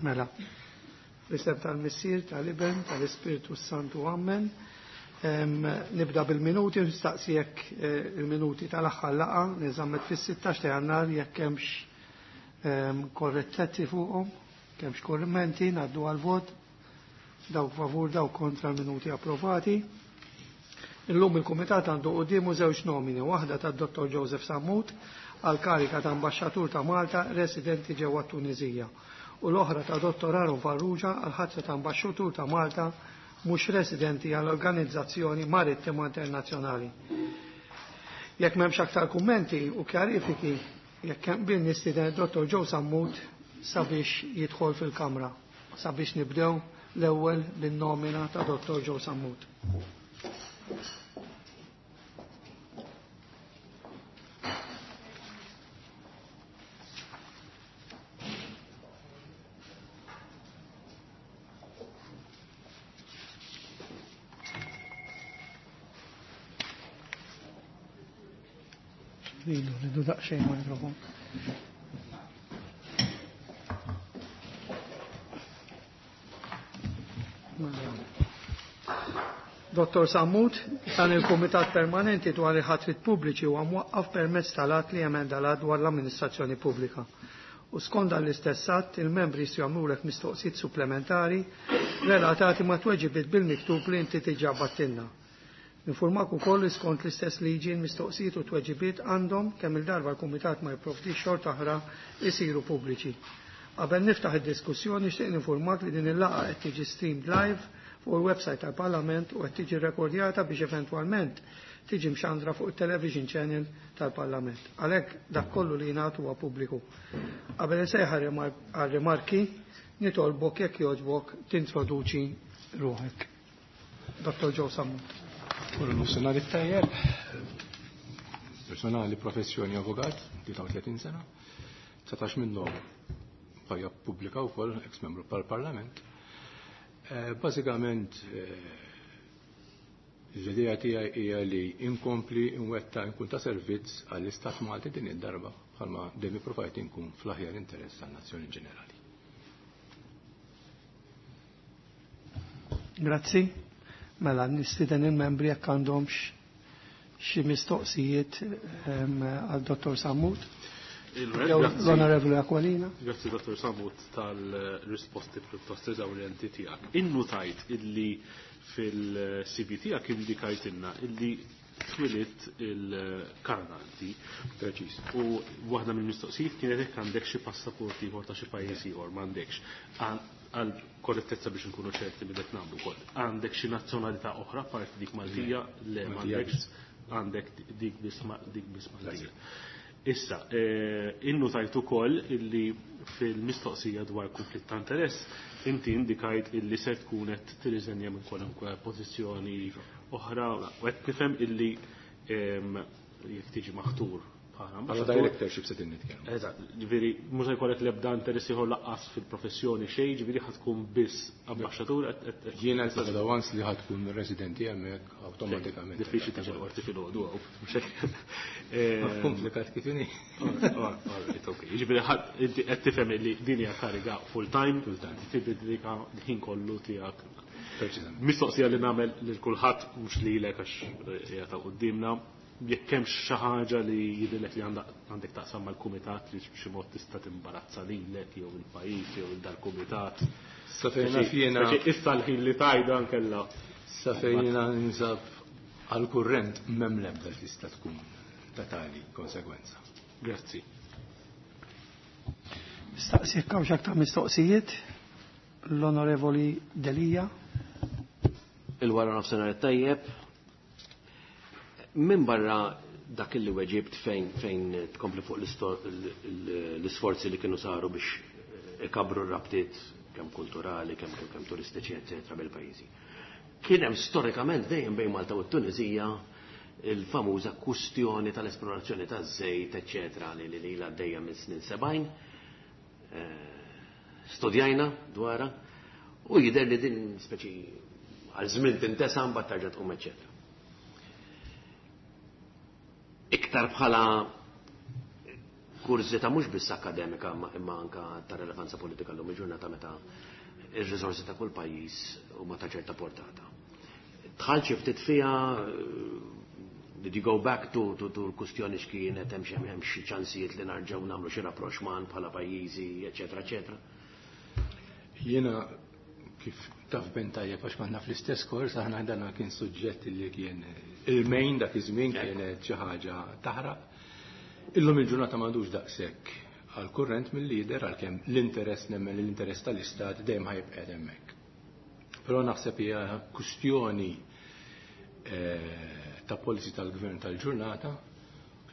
Mela. Fl-isem tal-Missier, tal-Iben, tal-Ispirtu Santu, Amen. Nibda bil-minuti, nistaqsi jekk eh, il-minuti tal-aħħar laqgħa li żammet fis-16 ta' Jannar jekk hemmx korrettezzi fuqhom, kemmx korrimenti, ngħaddu għal-vot, dawk favur, dawk kontra l-minuti approvati. Illum il-Kumitat għandu qudiemu żewġ nomini, waħda tad Dr. Joseph Sammut għal karika ta' ambasċatur ta' Malta residenti ġewwa Tunizija u l-oħra ta' Dr. Aaron Farrugia għal ħatra ta' ambasċatur ta' Malta mhux residenti għall Organizzazzjoni Marittima Internazzjonali. Jekk m'hemmx aktar kummenti u kjarifiki, jekk hemm bil nistieden Dr. Joe Sammut sabiex jidħol fil-kamra, sabiex nibdew l-ewwel bin-nomina ta' Dr. Joe Sammut. Lilu, lilu daqsxejn mikrofon. Dottor Sammut, dan il-Kumitat Permanenti dwar il-ħatrit pubbliċi huwa mwaqqaf permezz tal-att li emenda l dwar l-amministrazzjoni pubblika. U skont dan l-istess att, il-membri jistgħu jagħmlulek mistoqsijiet supplementari relatati ma' tweġibiet bil-miktub li inti diġà battilna. Informak ukoll li skont l-istess liġi l-mistoqsijiet u tweġibiet għandhom kemm il-darba l-Kumitat ma jipprovdix xorta oħra jsiru pubbliċi. Qabel niftaħ id-diskussjoni nixtieq ninformak li din il-laqgħa qed tiġi streamed live fuq il-website tal-Parlament u qed tiġi rekordjata biex eventwalment tiġi mxandra fuq il-television channel tal-Parlament. Għalhekk dak kollu li jingħad huwa pubbliku. Qabel insejħ għar-rimarki nitolbok jekk jogħġbok tintroduċi ruħek. Dr. Joe Sammut. Kullu nofsinhar it-tajjeb. Personali professjoni avukat, 33 sena, 19 minnhom ħajja pubblika wkoll ex-membru tal-Parlament. Bażikament l-idea tiegħi hija li inkompli nwetta nkun ta' servizz għall-Istat Malti din id-darba bħalma dejjem ippruvajt inkun fl-aħjar interess tan-nazzjoni ġenerali. Grazzi. Mela, nistieden il-membri jekk għandhomx xi mistoqsijiet għal Dottor Sammut. L-Onorevoli Aquilina. Grazzi Dottor Sammut tal-risposti pjuttost eżawrjenti tiegħek. Innutajt illi fil-CV tiegħek indikajtilna illi twilit il-Kanada inti. Preċiż. U waħda mill-mistoqsijiet kienet jekk għandek xi passaport ieħor ta' xi pajjiż ieħor m'għandekx. Għal korrettezza biex nkunu ċerti li qed nagħmlu wkoll. Għandek xi nazzjonalità oħra parti dik Maltija? Le m'għandekx. Għandek dik biss dik biss Maltija. Issa, innutajt ukoll illi fil-mistoqsija dwar konflitt ta' interess inti indikajt illi se tkun qed tirriżenja minn kwalunkwe pożizzjoni oħra u qed nifhem illi jekk tiġi maħtur bħala Bħala ambaxxatur. directorship se nitkellmu. Eżatt, ġifieri mhux se jkollek l-ebda interess ieħor laqqas fil-professjoni xejn, ġifieri ħa tkun biss ambaxxatur qed Jiena l once li ħa tkun residenti hemmhekk awtomatikament. Diffiċli tiġi l-qorti filgħodu hawn, mhux hekk. Komplikat kif inhi. Alright, okay. Ġifieri ħadd inti qed tifhem li din hija kariga full time, Full time. Tiddedika l-ħin kollu tiegħek. Preċiżament. Mistoqsija li nagħmel lil kulħadd mhux lilek għax hija ta' quddiemna, jekk hemmx xi ħaġa li jidhirlek li għandek taqsam mal-kumitat li b'xi mod tista' timbarazza lilek jew il-pajjiż jew il-dal-kumitat. Sa fejn naf jiena Issa l-ħin li tajda nkella. Sa fejn jiena ninsab għal-kurrent m'hemm l-ebda li tista' tkun ta' tali konsegwenza. Grazzi. Nistaqsi jekk hawnx aktar mistoqsijiet. L-Onorevoli Delia. Il-wara nofsinhar tajjeb. Min barra dak li weġibt fejn tkompli fuq l-isforzi li kienu saru biex ikabru r-rabtiet kemm kulturali, kemm turistiċi, eccetera, bil-pajjiżi. Kien hemm storikament dejjem bejn Malta u t-Tunisija il-famuża kwistjoni tal-esplorazzjoni taż-żejt, eccetera, li ilha għaddejja minn snin 70. Studjajna dwarha u jidher li din speċi għal żmien tintesa mbagħad terġa' tqum, eccetera. Iktar bħala Kurżità mhux biss akademika imma anka ta' relevanza politika llum il-ġurnata meta ir-riżorsi ta' kull pajjiż huma ta' ċerta portata. Dħalt xi ftit fiha, did you go back to l-kustjoni x'kienet hemm xi hemm xi ċansijiet li narġgħu nagħmlu xi rapprochement bħala pajjiżi, eċetera, eċetera? Jiena kif taf ben tajjeb għax konna fl-istess kors, aħna dana kien suġġett li kien il-main dak iż-żmien, kienet xi ħaġa taħraq. Illum il-ġurnata m'għadux daqshekk għal kurrent mill-lider, għalkemm l-interess, nemmen l-interess tal-istat dejjem ħa jibqa' hemmhekk. Però naħseb hija kwistjoni ta' policy tal-gvern tal-ġurnata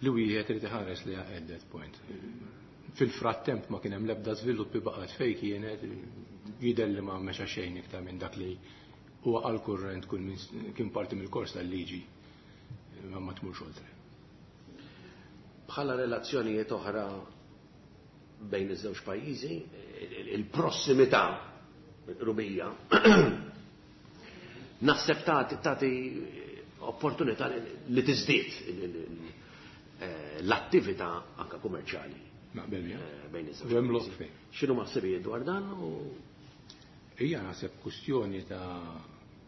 li wieħed irid iħares li at that point. Fil-frattemp ma kien hemm l-ebda żviluppi, baqgħet fejn kienet, jidher li ma mexa xejn iktar minn dak li huwa għal kurrent kull min kien parti mill-kors tal-liġi, ma tmurx oltre. Bħala relazzjonijiet oħra bejn iż-żewġ pajjiżi, il-prossimità rubija naħseb tagħti opportunità li tiżdied l-attività anka kummerċjali. Naqbel, ja. Bejn iż-żewġ Hemm lok pajjiżi. fejn. X'inhu maħsibijiet dwar dan? U Hija naħseb kwistjoni ta'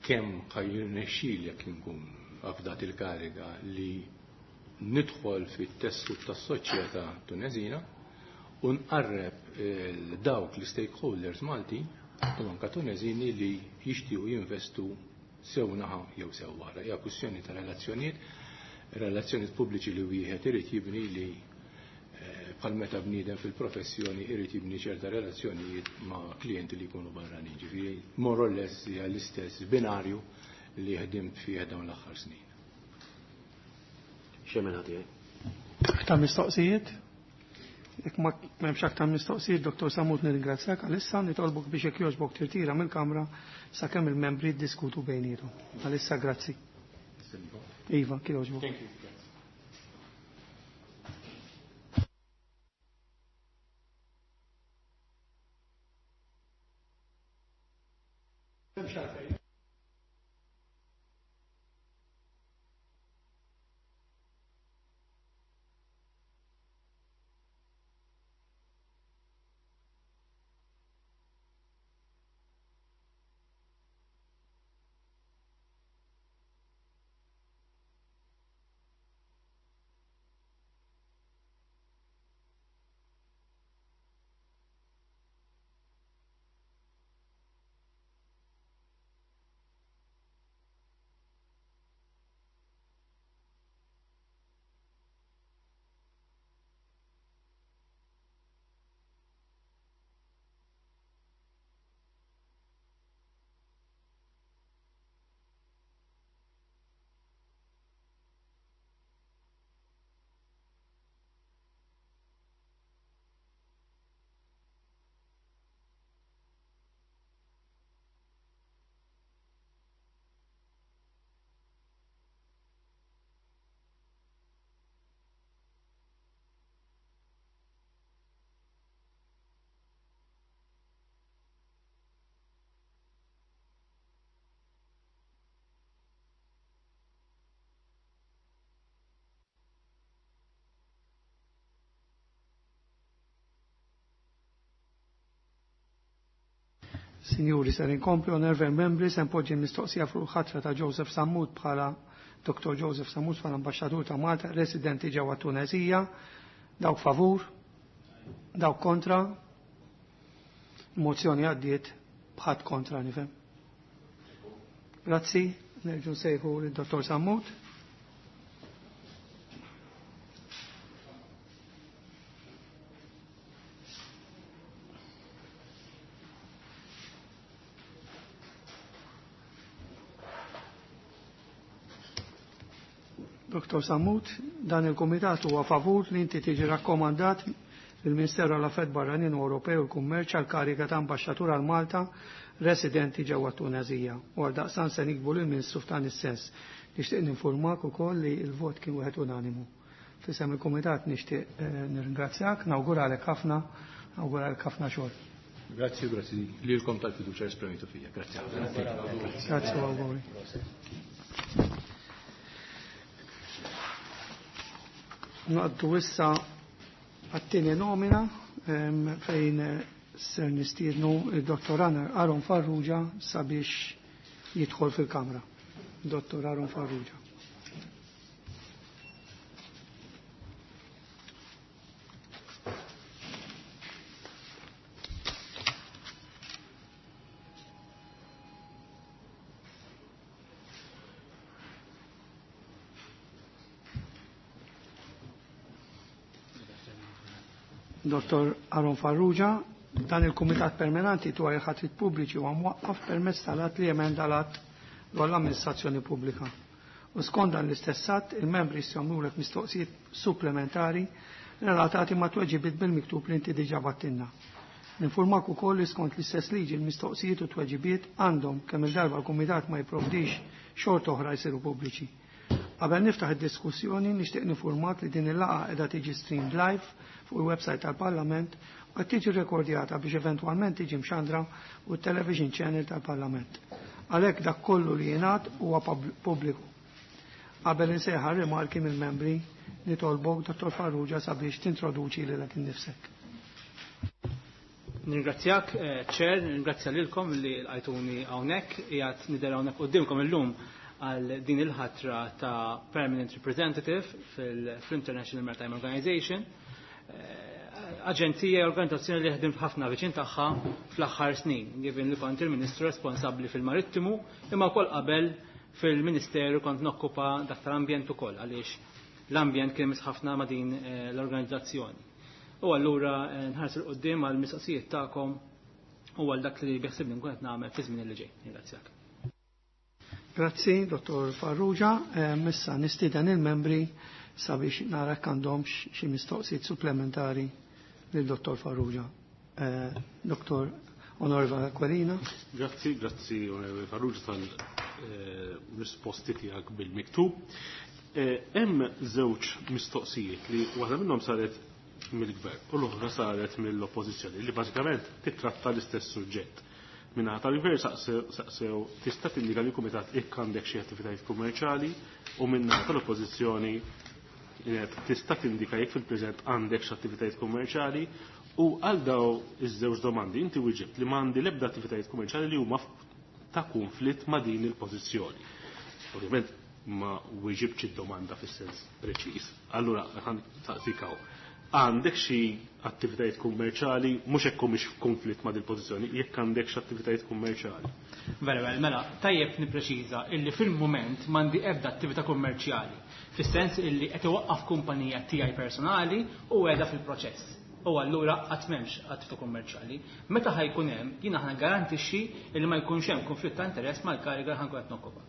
kemm ħa jirnexxielek inkun afdat il-kariga li nidħol fit-tessut tas-soċjetà Tunezina u nqarreb dawk li stakeholders Malti u anka Tunezini li jixtiequ jinvestu sew naħa jew sew wara. Hija kwistjoni ta' relazzjonijiet, relazzjonijiet pubbliċi li wieħed irid jibni li bħal meta bniedem fil-professjoni irid jibni ċerta relazzjonijiet ma' klijenti li jkunu barranin. Ġifieri more or less hija l-istess binarju li ħdimt fih dawn l-aħħar snin. Xemmen ħati? Aktar mistoqsijiet? Jekk ma m'hemmx aktar mistoqsijiet, Dottor Sammut, nirringrazzjak għalissa, nitolbok biex jekk jogħġbok tirtira mill-kamra sakemm il-membri ddiskutu bejniethom. Għalissa grazzi. Iva, kif jogħġbok. Thank you. Signori, ser inkompli, onorevoli membri, se npoġġi mistoqsija fuq il-ħatra ta' Joseph Sammut bħala Dr. Joseph Sammut bħala ambasċatur ta' Malta residenti ġewwa Tunezija. Dawk favur, dawk kontra. Mozzjoni għaddiet bħadd kontra, nifhem. Grazzi, nerġu nsejħu lid-Dottor Sammut. Dottor Sammut, dan il-Kumitat huwa favur li inti tiġi rakkomandat lill-Ministeru għall Affarijiet Barranin u Ewropew u l-Kummerċ għal kariga ta' ambaxxatur għal Malta residenti ġewwa Tunezija. U għal daqstan se nikbu lill-Ministru f'dan is-sens. Nixtieq ninformak ukoll li l-vot kien wieħed unanimu. Fisem il-Kumitat nixtieq nirringrazzjak, nawguralek ħafna, nawguralek ħafna xogħol. Grazzi, grazzi lilkom tal-fiduċja esprimitu fija. Grazzi ħafna. Grazzi u awguri. Naqdu issa għat-tieni nomina fejn ser nistiednu il-Dottor Aaron Farrugia sabiex jidħol fil-Kamra. Dottor Aaron Farrugia. Dottor Aaron Farrugia, dan il-Kumitat Permanenti dwar il-ħatrit pubbliċi huwa mwaqqaf permezz tal-att li jemenda l-att dwar l-amministrazzjoni pubblika. U skont dan l-istess att, il-membri jistgħu jagħmlulek mistoqsijiet supplementari relatati ma' tweġibiet bil-miktub li inti diġà battilna. Ninformak ukoll li skont l-istess liġi l-mistoqsijiet u tweġibiet għandhom kemm il-darba l-Kumitat ma jipprovdix xorta oħra jsiru pubbliċi. Qabel niftaħ id-diskussjoni nixtieq nifurmak li din il-laqgħa qiegħda tiġi streamed live fuq il-website tal-Parlament u qed tiġi rekordjata biex eventwalment tiġi mxandra u television channel tal-Parlament. Għalhekk dak kollu li jingħad huwa pubbliku. Qabel insejħa rimarki mill-membri nitolbok Dottor Farrugia sabiex tintroduċi lilek innifsek. Ningrazzjak, Chair, ningrazzja lilkom li lqajtuni hawnhekk, qiegħed nidher hawnhekk quddiemkom illum għal din il-ħatra ta' Permanent Representative fil-International Maritime Organization. Aġenzija e organizzazzjoni li ħdimt ħafna viċin tagħha fl-aħħar snin, given li kont il-Ministru responsabbli fil-Marittimu, imma wkoll qabel fil-Ministeru kont nokkupa dak tal-ambjent ukoll għaliex l-ambjent kien ħafna ma' din l-organizzazzjoni. U allura nħarsu 'l quddiem għal mistoqsijiet tagħkom u għal dak li biħsibni nkun qed nagħmel fi żmien li ġej. Ringrazzjak. Grazzi, Dottor Farrugia. Issa nistieden il-membri sabiex nara għandhom xi mistoqsijiet supplementari lil Dottor Farrugia. Dottor Onorevole Aquilina. Grazzi, grazzi Onorevole Farrugia tal-risposti tiegħek bil-miktub. Hemm żewġ mistoqsijiet li waħda minnhom saret mill-gvern u l-oħra saret mill-oppożizzjoni li bażikament titratta l-istess suġġett. Minna tal-gvern saqsew tista' tindika li kumitat jekk għandek xi attivitajiet kummerċjali u minna tal-oppożizzjoni tista' tindika jekk fil-preżent għandek xi attivitajiet kummerċjali u għal daw iż-żewġ domandi inti wieġibt li m'għandi l-ebda attivitajiet kummerċjali li huma ta' konflitt ma' din il-pożizzjoni. Ovvjament ma wieġibx id-domanda fis-sens preċiż. Allura ħan taqsikaw. Għandek xi attivitajiet kummerċjali, mhux hekk humiex f'konflitt ma' dil-pożizzjoni, jekk għandek xi attivitajiet kummerċjali. Vera, vera, mela, tajjeb nippreċiża illi fil-mument m'għandi ebda attività kummerċjali, fis-sens illi qed iwaqqaf kumpanija tiegħi personali u qiegħda fil-proċess. U allura qatt m'hemmx attività kummerċjali. Meta ħajkun hemm, jiena aħna garantixxi illi ma jkunx hemm konflitt ta' interess mal-kariga li ħankun qed nokkupa.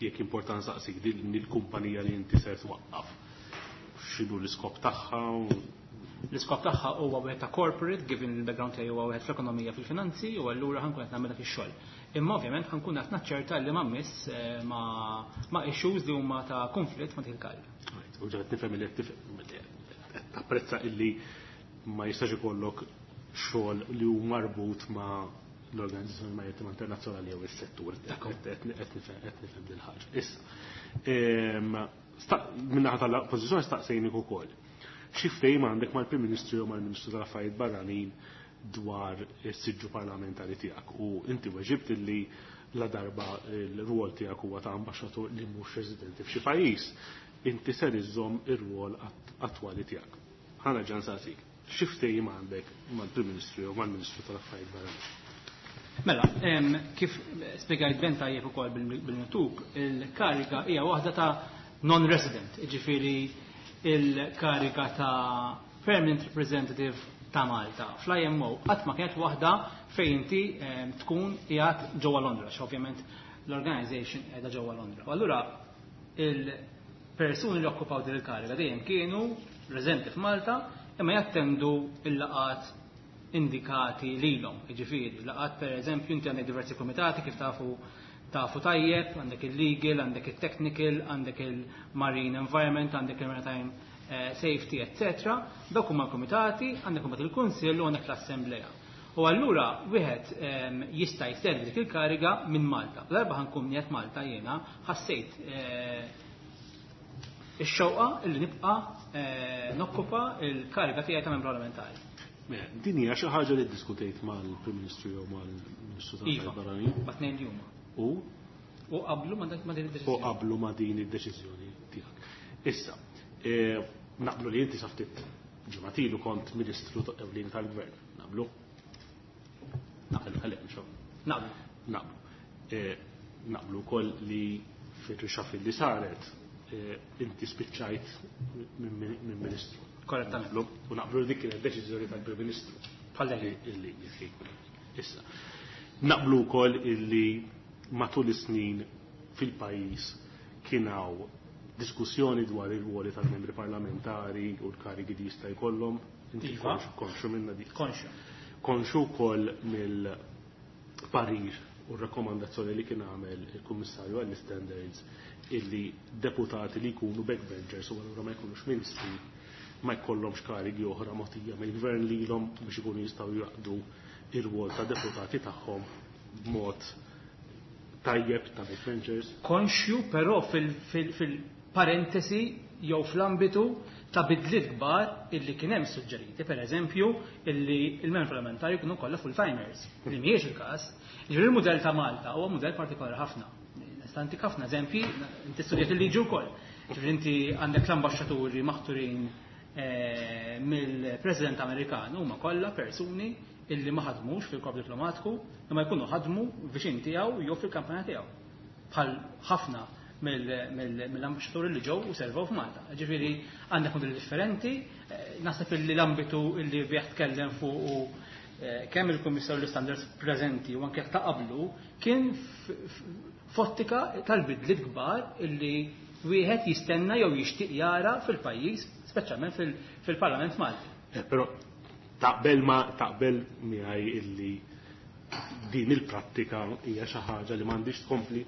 Jekk importanti saqsik din il-kumpanija li inti ser twaqqaf, x'inhu l-iskop tagħha? L-iskop tagħha huwa wieħed ta' corporate, given il-background tiegħi huwa wieħed fl-ekonomija fil-finanzi, u allura ħankun qed nagħmel dak ix-xogħol. Imma ovvjament ħankun qed naċċerta li ma miss ma' issues li huma ta' konflitt ma' dik il-kariga. U ġed nifhem li qed tapprezza illi ma jistax ikollok xogħol li hu marbut ma' l-Organizzazzjoni Marittima Internazzjonali jew is-settur. Qed nifhem din ħaġa. Issa, min-naħa tal-oppożizzjoni staqsejnik ukoll. Xi ftehim għandek mal-Prim Ministru jew mal-Ministru tal-Affarijiet Barranin dwar is-siġġu parlamentari tiegħek u inti weġibt illi la darba l-rwol tiegħek huwa ta' ambaxxatur li mhux residenti f'xi pajjiż, inti ser iżżomm ir-rwol attwali tiegħek. Ħana ġan saqsik, xi ftehim għandek mal-Prim Ministru jew mal-Ministru tal-Affarijiet Barranin? Mela, kif spjegajt ben tajjeb ukoll bil-miktub, il-kariga hija waħda ta' non-resident, jiġifieri il-kariga ta' permanent representative ta' Malta. Fl-IMO qatt ma kienet waħda fejn inti tkun qiegħed ġewwa Londra, għax ovvjament l-organization qiegħda ġewwa Londra. U allura il-persuni li okkupaw din il-kariga dejjem kienu residenti f'Malta imma jattendu il-laqat indikati lilhom. Jiġifieri, laqat pereżempju inti għandek diversi komitati kif tafu tajjeb, għandek il-legal, għandek il-technical, għandek il-marine environment, għandek il-maritime safety, etc. Dawk huma l-komitati, għandek imbagħad il-Kunsill u għandek l-Assembleja. U allura wieħed jista' jservi dik il-kariga minn Malta. L-darba ħankun qiegħed Malta jiena ħassejt ix-xewqa illi nibqa' nokkupa l-kariga tiegħi ta' membru parlamentari. Mela, din hija xi ħaġa li ddiskutejt mal-Prim Ministru jew mal-Ministru Iva, tal-Affarijiet Barranin? Ma' tnejn li huma. U? U qablu ma' din id-deċiżjoni. U qablu ma' din id-deċiżjoni tiegħek. Issa, naqblu li inti sa ftit ġimgħat ilu kont Ministru ewlieni tal-Gvern. Naqblu? Naqblu, ħalli hemm xogħol. Naqblu. Naqblu. Naqblu wkoll li fir-reshuffle li saret inti spiċċajt minn Ministru. Korrettament. Naqblu. U naqblu li dik kienet deċiżjoni tal-Prim Ministru. Bħal dejjem. Illi Issa. Naqblu wkoll illi matul is-snin fil-pajjiż kien hawn diskussjoni dwar ir-ruoli tal-membri parlamentari u l-karigi li jista' jkollhom. Inti Iva. konxu minna dik. Konxu. Konxu wkoll mill-parir u r-rakkomandazzjoni li kien għamel il-Kummissarju għall-Standards illi deputati li jkunu backbenchers u allura ma jkunux ministri ma jkollhomx karigi oħra mogħtija mill-gvern lilhom biex ikunu jistgħu jaqdu ir-rwol ta' deputati tagħhom b'mod tajjeb ta' backbenchers. Konxju però fil-parentesi jew fl-ambitu ta' bidliet kbar illi kien hemm suġġeriti, per eżempju, illi il-membri parlamentari jkunu kollha full-timers, li mhijiex il-każ. Ġifieri il-mudell ta' Malta huwa mudell partikolari ħafna. Nista' ntik ħafna eżempji, inti studjat il-liġi wkoll. Ġifieri inti għandek l-ambaxxaturi maħturin mill-President Amerikan huma kollha persuni illi ma ħadmux fil-korp diplomatiku, imma jkunu ħadmu viċin tiegħu jew fil-kampanja tiegħu. Bħal ħafna mill-ambaxxaturi li ġew u servew f'Malta. Ġifieri għandek modelli differenti, naħseb illi l-ambitu illi bih tkellem fuq u kemm il-Kummissarju l-Standards preżenti u anke ta' qablu kien f'ottika tal-bidliet kbar illi wieħed jistenna jew jixtieq jara fil-pajjiż, speċjalment fil-Parlament Malti. Però taqbel ma taqbel miegħi illi din il-prattika hija xi ħaġa li m'għandix tkompli?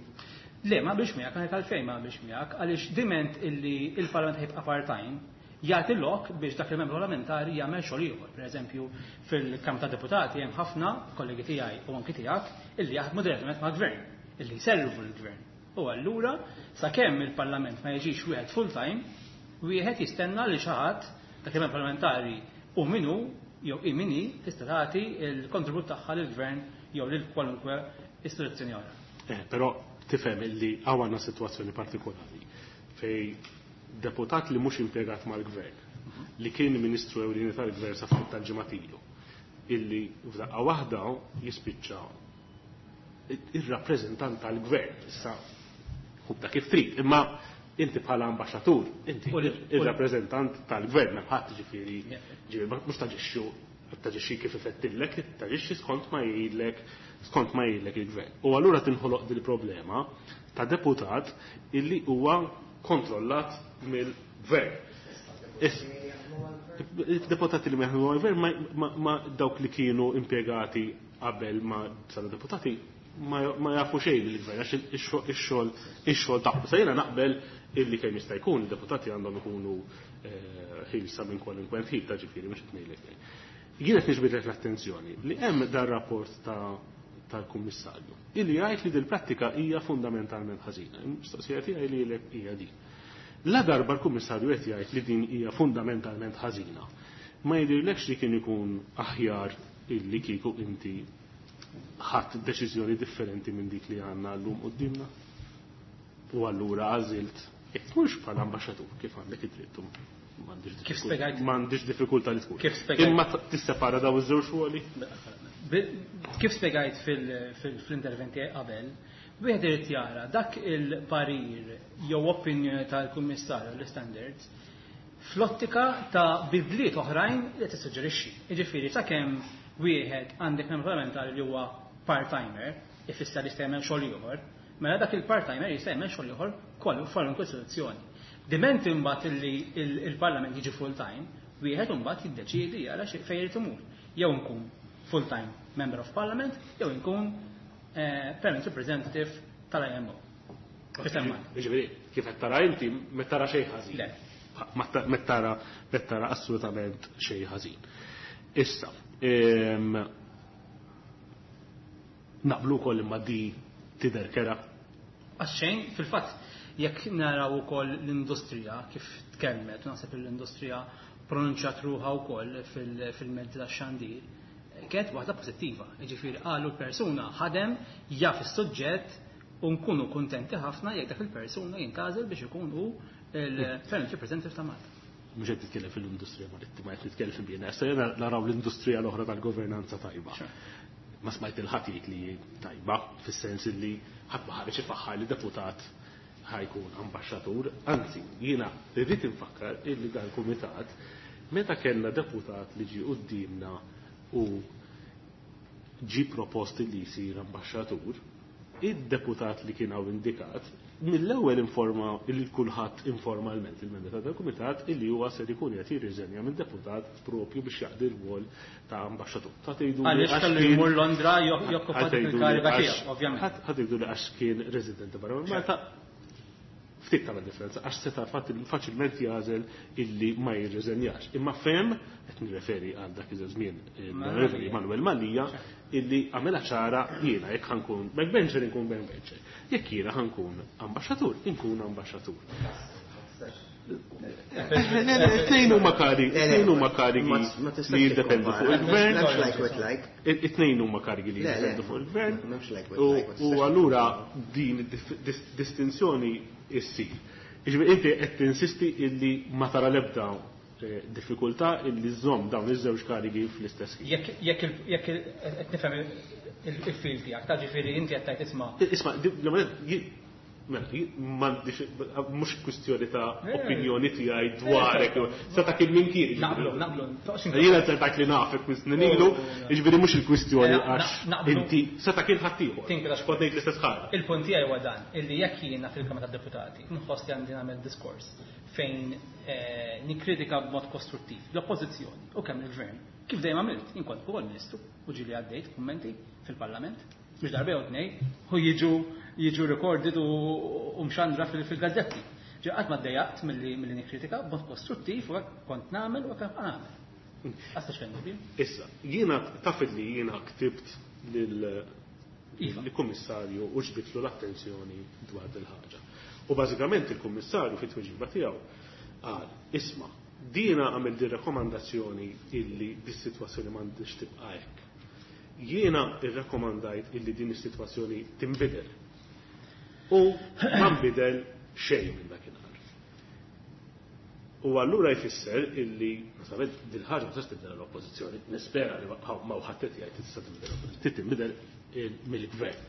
Le, ma biex miegħek, għandek għalfejn ma biex miegħek, għaliex diment illi il-Parlament ħajbqa' part-time, jagħti lok biex dak il-membru parlamentari jagħmel xogħol ieħor. Per eżempju, fil-Kamra ta' Deputati hemm ħafna kollegi tiegħi u anki tiegħek illi jaħdmu direttament mal-gvern, illi jservu l-gvern. U allura, sakemm il-Parlament ma jiġix wieħed full-time, wieħed jistenna li xi ħadd dak il-membru parlamentari u minnu jew i minni tista' tagħti l-kontribut tagħha lill-gvern jew lil kwalunkwe istituzzjoni oħra. Però tifhem illi hawn għandna sitwazzjoni partikolari fej deputat li mhux impjegat mal-gvern, li kien ministru ewlieni tal-gvern sa ftit tal-ġimgħat ilu, illi f'daqqa waħda jispiċċa ir-rappreżentant tal-gvern. Issa ħubta kif trid, imma inti bħala ambaxxatur, inti ir-rappreżentant tal-gvern, m'hemm ħadd ġifieri, ġifieri mhux taġixxu, taġixxi kif ifettillek, taġixxi skont ma jgħidlek, skont ma jgħidlek il-gvern. U allura tinħoloq dil problema ta' deputat illi huwa kontrollat mill-gvern. Deputati li ma jaħdmu mal-gvern ma dawk li kienu impjegati qabel ma saru deputati ma jafu xejn lill-gvern għax ix-xogħol tagħhom. Sa jiena naqbel illi kemm jista' jkun id-deputati għandhom ikunu ħilsa minn kwalunkwe ħil ta' ġifieri mhux qed ngħidlek. Jien qed niġbidlek l-attenzjoni li hemm dar rapport tal-Kummissarju illi jgħid li dil-prattika hija fundamentalment ħażina. Il-mistoqsija tiegħi lilek hija din. La darba l-Kummissarju qed jgħid li din hija fundamentalment ħażina, ma jidhirlekx li kien ikun aħjar illi kieku inti ħadd deċiżjoni differenti minn dik li għandna llum quddiemna? U allura għażilt jekk tkunx bħala ambaxxatur kif għandek id-dritt Kif spjegajt? m'għandix diffikultà li tkun. Kif spjegajt? Imma tissepara daw iż-żewġ ruoli? Kif spjegajt fl-interventi qabel, wieħed irid jara dak il-parir jew opinjoni tal-Kummissarju l-Standards fl-ottika ta' bidliet oħrajn li tissuġġerixxi. Jiġifieri sakemm wieħed għandek membru parlamentari li huwa part-timer, ifisser li jista' jagħmel xogħol ieħor, mela dak il-part-timer jista' jagħmel xogħol ieħor kwalunkwe istituzzjoni. Diment imbagħad illi il-Parlament jiġi full-time, wieħed imbagħad jiddeċiedi jara fejn irid imur. Jew nkun full-time member of Parliament, jew nkun permanent representative tal-IMO. Ġifieri, kif qed tara inti, ma tara xejn ħażin. Le. Ma tara assolutament xejn ħażin. Issa, naqblu wkoll imma di tidher kera. Għax xejn, fil-fatt, Jekk naraw ukoll l-industrija kif tkellmet, naħseb l-industrija pronunċjat ruħha wkoll fil-mezzi tax-xandir, kienet waħda pożittiva. Jiġifieri qalu l-persuna ħadem, jaf is-suġġett u nkunu kuntenti ħafna jekk dak il-persuna jintgħażel biex ikun hu l-permanent representative ta' Malta. Mhux qed titkellem fil-industrija marittima, qed titkellem fil-BNS, jiena naraw l-industrija l-oħra tal-governanza tajba. Ma smajt il-ħadd jgħid li tajba, fis-sens li ħadd ma ħareġ ifaħħar li deputat ħa jkun ambaxxatur, anzi jiena rrid infakkar illi dan kumitat meta kellna deputat li ġie quddiemna u ġie propost li jsir ambaxxatur, id-deputat li kien hawn indikat mill-ewwel informa lil kulħadd informalment il-membri ta' dal-kumitat illi huwa ser ikun qed jirriżenja minn deputat propju biex jaqdi r-rwol ta' ambaxxatur. Ta' tgħidu Għaliex kellu jmur Londra jokkupa dik il-kariga tiegħu, ovvjament. Ħa tgħidu li għax kien residenti barra minn Malta, ftit tagħmel differenza għax seta' faċilment jagħżel illi ma jirriżenjax. Imma fehem, qed nirreferi għal dak iż-żmien l-Onorevoli Manuel Mallia, illi għamilha ċara jiena jekk ħankun backbencher inkun backbencher. Jekk jiena ħankun ambaxxatur, inkun ambaxxatur. Tnejn huma karigi, tnejn huma karigi li jiddependu fuq il-gvern. It-tnejn huma karigi li jiddependu fuq il-gvern. U allura din distinzjoni issir. Jiġifieri inti qed tinsisti illi ma tara l-ebda diffikultà illi żżomm dawn iż-żewġ karigi fl-istess ħin. Jekk qed nifhem il-fil tiegħek, ta' ġifieri inti qed tgħid isma'. Isma', mela, mhux kwistjoni ta' opinjoni tiegħi dwarek, seta' kien min kien. Naqblu, naqblu. Jiena se tgħid li nafek minn snin ilu, jiġifieri mhux il-kwistjoni għax inti seta' kien ħaddieħor. Kont ngħid l-istess ħaġa. Il-punt tiegħi huwa dan, illi jekk jiena fil-Kamra tad-Deputati nħoss li għandi nagħmel diskors fejn nikkritika b'mod kostruttiv l-oppożizzjoni u kemm il-gvern, kif dejjem għamilt, jien kont ukoll ministru u ġieli għaddejt kummenti fil-Parlament, mhux darba jew tnejn, u jiġu recorded u mxandra fil-gazzetti. Ġi qatt ma ddejjaqt milli nikkritika b'mod kostruttiv u hekk kont nagħmel u hekk nibqa' nagħmel. Għasta xejn dubju. Issa, jiena taf li jiena ktibt lill-kummissarju u ġbidtlu l-attenzjoni dwar dil-ħaġa. U bażikament il-kummissarju fit-tweġiba tiegħu qal, isma', dina għamel di rakkomandazzjoni illi dis-sitwazzjoni m'għandix tibqa' hekk. Jiena rrakkomandajt illi din is-sitwazzjoni tinbidel. U ma nbidel xejn minn dakinhar. U allura jfisser illi, naturalment, dil-ħaġa ma tistax tibdel l-oppożizzjoni, nispera li ma ħadd qed jgħid tista' tinbidel l-oppożizzjoni, tinbidel mill-gvern.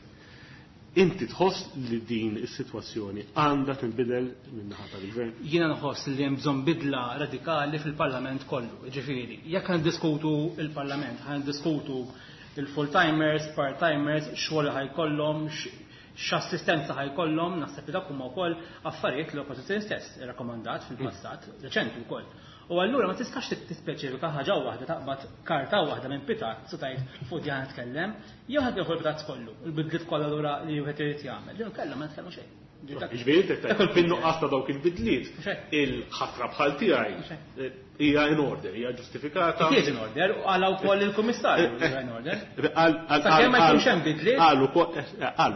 Inti tħoss li din is-sitwazzjoni għandha tinbidel min-naħa tal-gvern? Jiena nħoss li hemm bżonn bidla radikali fil-Parlament kollu. Ġifieri, jekk ħa niddiskutu il-Parlament, ħa niddiskutu il-full-timers, part-timers, xogħol ħa jkollhom, x'assistenza ħa jkollhom, naħseb li dak huma wkoll affarijiet li l-oppożizzjoni stess irrakkomandat fil-passat, reċenti wkoll. U allura ma tistax tispeċifika ħaġa waħda, taqbad karta waħda minn pitazz u tgħid fuq di ħa nitkellem, jew ħa tieħu l-pitazz kollu, il-bidliet kollha lura li wieħed irid jagħmel, jew kellha ma nitkellmu xejn. Ġifieri inti qed tgħid fin-nuqqas ta' dawk il-bidliet, il-ħatra bħal tiegħi hija in order, hija ġustifikata. It is in order, u qala wkoll il-Kummissarju li hija in order. Sakemm ma jkunx hemm bidliet. Qal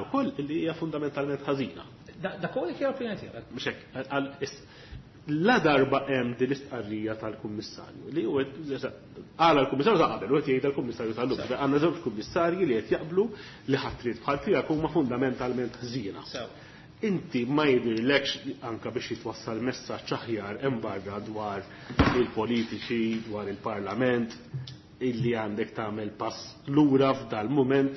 ukoll li hija fundamentalment ħażina. Dak huwa dik hija l-opinjoni tiegħek. Mhux hekk, qal la darba hemm din l-istqarrija tal-Kummissarju li huwa qala l-Kummissarju ta' qabel u qed jgħid l-Kummissarju tal-lum. Għandna żewġ kummissarji li qed jaqblu li ħatriet bħal tiegħek huma fundamentalment ħżiena. Inti ma jidhirlekx anka biex jitwassal messaġġ aħjar hemm barra dwar il-politiċi, dwar il-Parlament, illi għandek tagħmel pass lura f'dal-mument?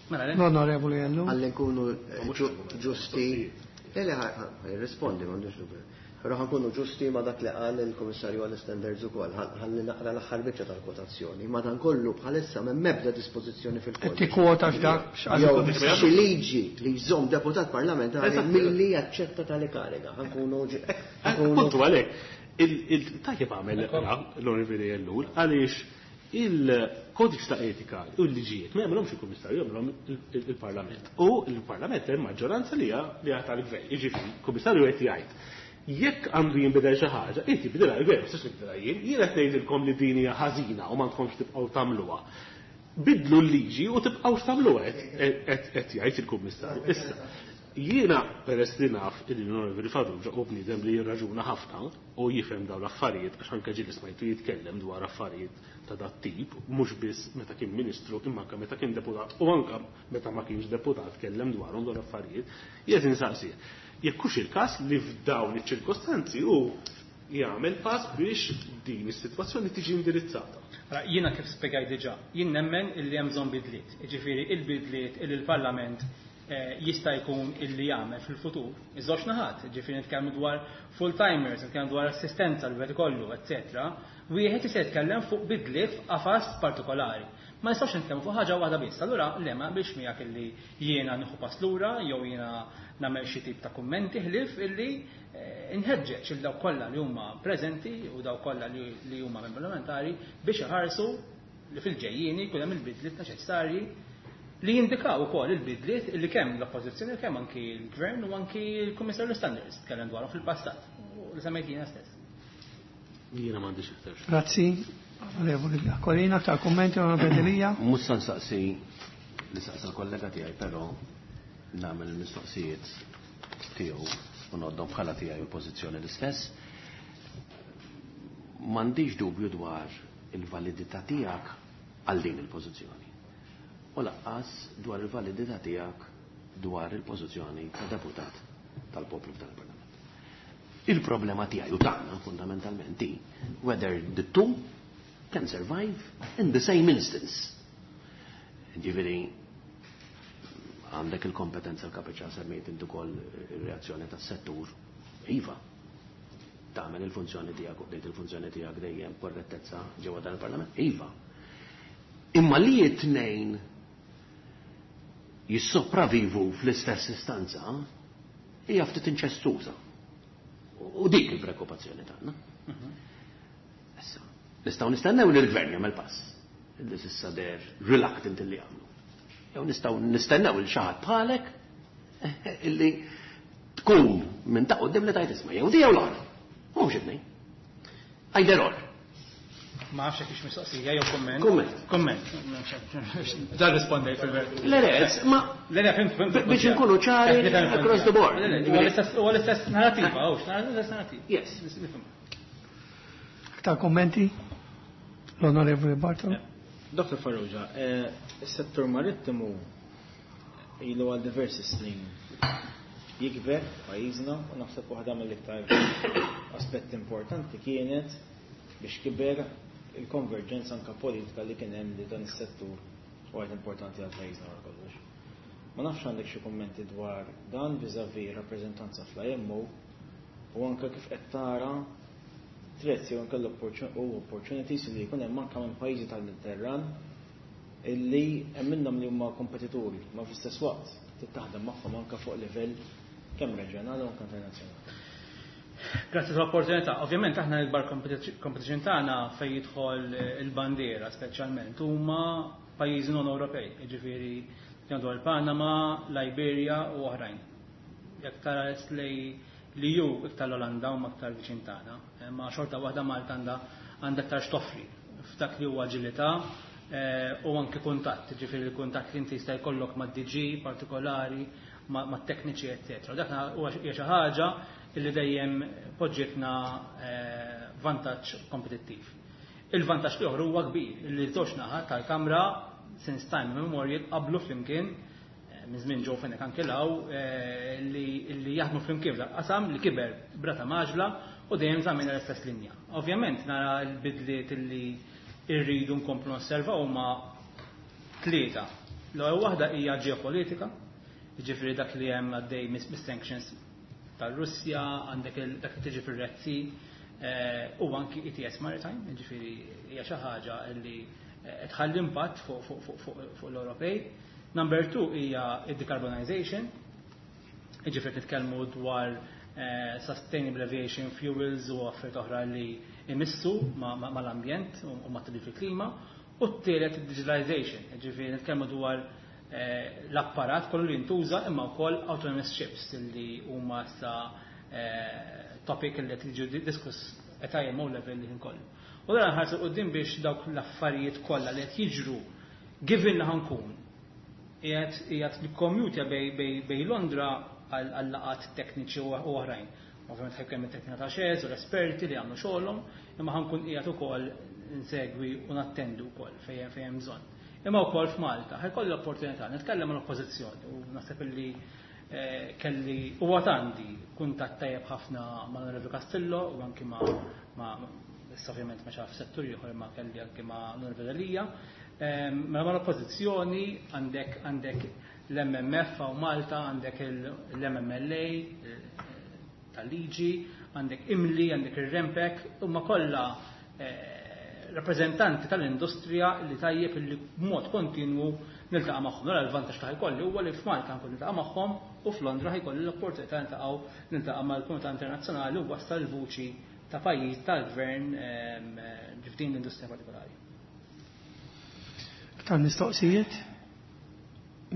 L-Onorevoli Ellul. Ħalli nkunu ġusti. Le, le, ħa nirrispondi, m'għandux dubju. Però ħa nkunu ġusti ma' dak li qal il-Kummissarju għall-Standards ukoll, ħalli naqra l-aħħar biċċa tal-kwotazzjoni. Madankollu bħalissa m'hemm ebda dispożizzjoni fil-kodiċi. Qed tikkwota x'dak x'qal Jew il-Kummissarju. xi liġi li jżomm deputat parlamentari milli jaċċetta tali kariga. Ħa nkunu ħa nkunu Puntu għalhekk. Il-tajjeb għamel l-Onorevoli Ellul għaliex il-kodiċ ta' etika u l-liġijiet ma jagħmilhomx il-Kummissarju, jagħmilhom il-Parlament. U l-Parlament hemm maġġoranza li hija li hija tal-gvern. Jiġifieri, il-Kummissarju qed jgħid jekk għandu jinbidel xi ħaġa, inti bidilha l-gvern, ma tistax nibdilha jien, jien qed ngħidilkom li din hija ħażina u m'għandkomx tibqgħu tagħmluha. Bidlu l-liġi u tibqgħux tagħmluha qed jgħid il-Kummissarju. Issa, Jiena peress li naf illi l-Onorevoli Farrugia hu bniedem li jirraġuna ħafna u jifhem dawn l-affarijiet għax anke ġieli smajtu jitkellem dwar affarijiet ta' dat-tip, mhux biss meta kien Ministru imma anke meta kien deputat u anke meta ma kienx deputat tkellem dwarhom dawn l-affarijiet, jien qed insaqsih jekk hux il-każ li f'dawn iċ-ċirkostanzi hu jagħmel pass biex din is-sitwazzjoni tiġi indirizzata. Ara, jiena kif spjegajt diġà, jien nemmen illi hemm bżonn bidliet. Jiġifieri il-bidliet illi l-Parlament jista' jkun illi jagħmel fil-futur. Iż-żewġ naħat, jiġifieri nitkellmu dwar full-timers, nitkellmu dwar assistenza li wieħed ikollu, eċċetera, wieħed jista' jitkellem fuq bidliet f'qafas partikolari. Ma nistgħux nitkellmu fuq ħaġa waħda biss. Allura le ma naqbilx miegħek illi jiena nieħu pass lura jew jiena nagħmel xi tip ta' kummenti ħlief illi inħeġġeġ lil dawk kollha li huma preżenti u dawk kollha li huma membri parlamentari biex iħarsu li fil-ġejjieni jkun hemm il-bidliet neċessarji li jindikaw ukoll il-bidliet li kemm l-Oppożizzjoni u kemm anki l-Gvern u anki l-Kummissarju Standards tkellem dwarhom fil-passat u li semmejt jiena stess. Jiena m'għandix iktar. Grazzi, Onorevoli Aquilina, aktar kummenti, Onorevoli Delia. Mhux se nsaqsi li saqsa l-kollega tiegħi, però nagħmel il-mistoqsijiet tiegħu u ngħoddhom bħala tiegħi u l-pożizzjoni l-istess. M'għandix dubju dwar il-validità tiegħek għal din il-pożizzjoni. U laqqas dwar il-validità tiegħek dwar il-pożizzjoni ta' deputat tal-poplu f'dan il-Parlament. Il-problema tiegħi u tagħna fundamentalment hi whether the two can survive in the same instance. Ġifieri għandek il-kompetenza l-kapaċità semmejt inti ukoll ir-reazzjoni tas-settur. Iva, tagħmel il-funzjoni tiegħek u bdejt il-funzjoni tiegħek dejjem korrettezza ġewwa dan il-Parlament. Iva. Imma li t-tnejn jissopravivu fl-istess istanza hija ftit inċestuża. U dik il-preokkupazzjoni tagħna. Issa, nistgħu nistennew li l-gvern jagħmel pass. Li s'issa der reluctant li jagħmlu. Jew nistgħu nistennew il xi ħadd bħalek illi tkun minn ta' quddiem li tajt isma' jew di jew l-oħra. Mhux it-tnejn. Either or. Ma nafx jekk hix mistoqsija jew kumment. Kumment. Kumment. Dan rispondej fil-verità. Le, le, ma Le, le, fimt, fimt. Biex inkunu ċari across the board. Le, le, huwa l-istess narrativa, hux, l-istess narrativa. Yes. Nifhem. Aktar kommenti? L-Onorevoli Bartolo. Dr. Farrugia, is-settur marittimu ilu għal diversi snin jikber pajjiżna u naħseb waħda mill-iktar aspetti importanti kienet biex kiber il-konverġenza anka politika li kien hemm li dan is-settur huwa importanti għal pajjiżna wara kollox. Ma nafx għandek xi kummenti dwar dan vis-à-vis rappreżentanza fl-IMO u anke kif qed tara threats jew anke u opportunities li jkun hemm anke minn pajjiżi tal-Mediterran illi hemm minnhom li huma kompetituri, ma fl-istess waqt trid taħdem magħhom anke fuq livell kemm reġjonali u anke internazzjonali. Grazzi tal-opportunità. Ovvjament aħna l-ikbar competition tagħna fejn jidħol il-bandiera speċjalment huma pajjiżi non Ewropej, jiġifieri dwar Panama, Liberia u oħrajn. Jekk tara lej li ju iktar l-Olanda huma aktar viċin tagħna, ma xorta waħda Malta għandha aktar x'toffri f'dak li huwa aġilità u anke kuntatt, jiġifieri l-kuntatt li inti jista' jkollok mad-DG partikolari, mat-tekniċi, eccetera. Dak huwa hija xi ħaġa illi dejjem poġġitna vantaġġ kompetittiv. Il-vantaġġ l-ieħor huwa kbir, illi żewġ naħat tal-Kamra since time immemorial qablu flimkien minn żmien ġew fejn anke law li jaħdmu flimkien f'dak qasam li kiber brata maġla u dejjem żammejna l-istess linja. Ovvjament nara l-bidliet illi rridu nkomplu nosservaw huma tlieta. L-ewwel waħda hija ġeopolitika, jiġifieri dak li hemm għaddej mis-sanctions tal-Russja, għandek dak li tiġi fir-Red Sea, u anki ETS Maritime, jiġifieri hija xi ħaġa li tħalli impatt fuq l-Ewropej. Number 2 hija id-decarbonization, jiġifieri nitkellmu dwar sustainable aviation fuels u affarijiet oħra li imissu mal-ambjent u ma' tibdil fil-klima. U t-tielet digitalization, jiġifieri nitkellmu dwar l-apparat kollu li jintuża imma wkoll autonomous ships li huma sa topic li qed jiġu diskuss at IMO level li kollu. U dan ħarsu quddiem biex dawk l-affarijiet kollha li qed jiġru given li ħankun qiegħed nikkommutja bej Londra għal laqgħat tekniċi u oħrajn. Ovvjament ħajkun hemm it-teknika ta' xez u l-esperti li jagħmlu xogħolhom, imma ħankun qiegħed ukoll insegwi u nattendu wkoll fejn fejn hemm bżonn. Imma wkoll f'Malta ħajkolli l-opportunità nitkellem mal-oppożizzjoni u naħseb illi eh, kelli u għandi kuntatt tajjeb ħafna ma' Onorevoli Castillo u anki ma' issa ovvjament ma xaf settur ieħor imma kelli anki ma' Onorevoli Delia. Mela mal-oppożizzjoni għandek għandek l-MMF hawn Malta, għandek l-MMLA tal-liġi, għandek IMLI, għandek ir-REMPEC, huma kollha rappreżentanti tal-industrija li tajjeb li b'mod kontinwu niltaqa' magħhom. Allura l-vantaġġ li ħajkolli huwa li f'Malta nkun niltaqa' magħhom u f'Londra ħajkolli l-opportunità niltaqgħu niltaqa' mal-komunità internazzjonali u wassal il-vuċi ta' pajjiż tal-gvern f'din l-industrija partikolari. Aktar mistoqsijiet?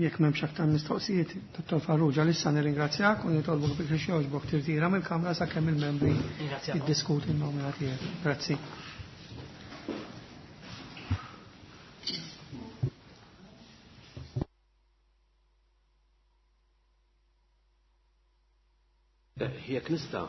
Jekk m'hemmx aktar mistoqsijiet, Dottor Farrugia, lissa nirringrazzjak u nitolbok biex jogħġbok tirtira mill-Kamra sakemm il-membri jiddiskutu n-nomina tiegħek. Grazzi. Jekk nista'.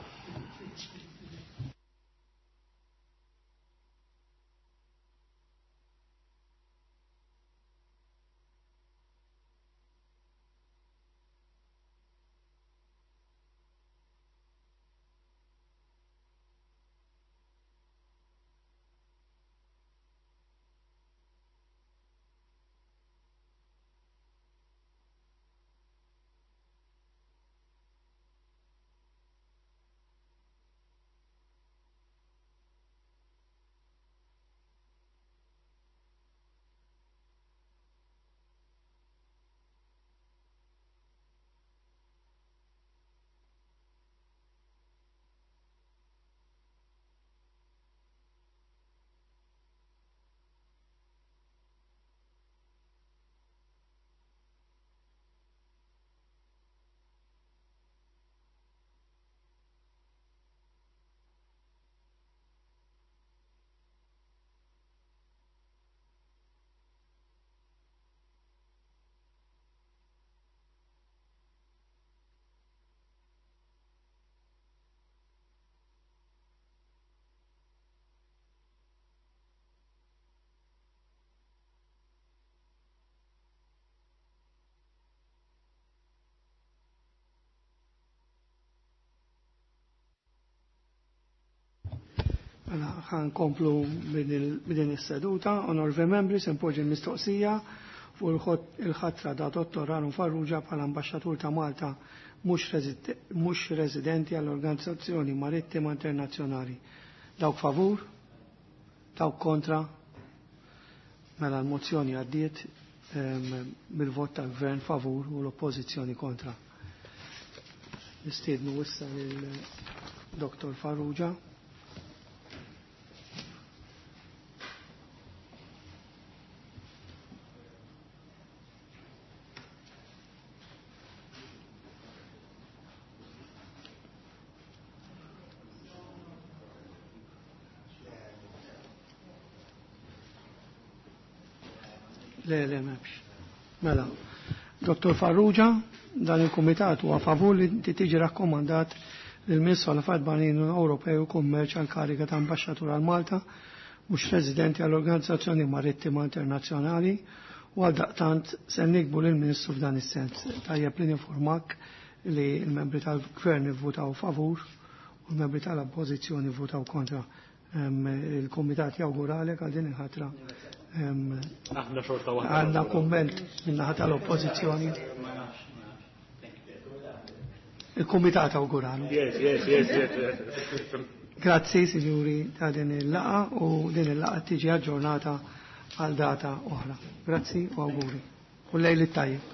Mela, ħan komplu b'din is-seduta. Onorevoli membri, se npoġġi l-mistoqsija fuq il-ħatra ta' Dottor Aaron Farrugia bħala ambaxxatur ta' Malta mhux residenti għall-Organizzazzjoni Marittima Internazzjonali. Dawk favur? Dawk kontra? Mela l-mozzjoni għaddiet bil-vot tal-Gvern favur u l-Oppożizzjoni kontra. Nistiednu issa lil Dr. Farrugia. Le, le, m'hemmx. Mela, Dottor Farrugia, dan il-Kumitat huwa favur li inti tiġi rakkomandat lil Ministru għal Affarijiet Barranin Ewropej u Kummerċ għal kariga ta' Ambaxxatur għal Malta mhux residenti għall Organizzazzjoni Marittima Internazzjonali u għaldaqtant se nikbu lil Ministru f'dan is-sens. Tajjeb li ninformak li l-membri tal-Gvern ivvutaw favur u l-membri tal-Oppożizzjoni vvutaw kontra. Il-Kumitat jawguralek għal din il-ħatra. Aħna xorta waħda. Għandna kumment min-naħa tal-Oppożizzjoni. Il-Kumitat awguralu. Yes, yes, yes, yes. Grazzi, signori, ta' din il-laqa u din il-laqa tiġi aġġornata għal data oħra. Grazzi u awguri. U lejl it-tajjeb.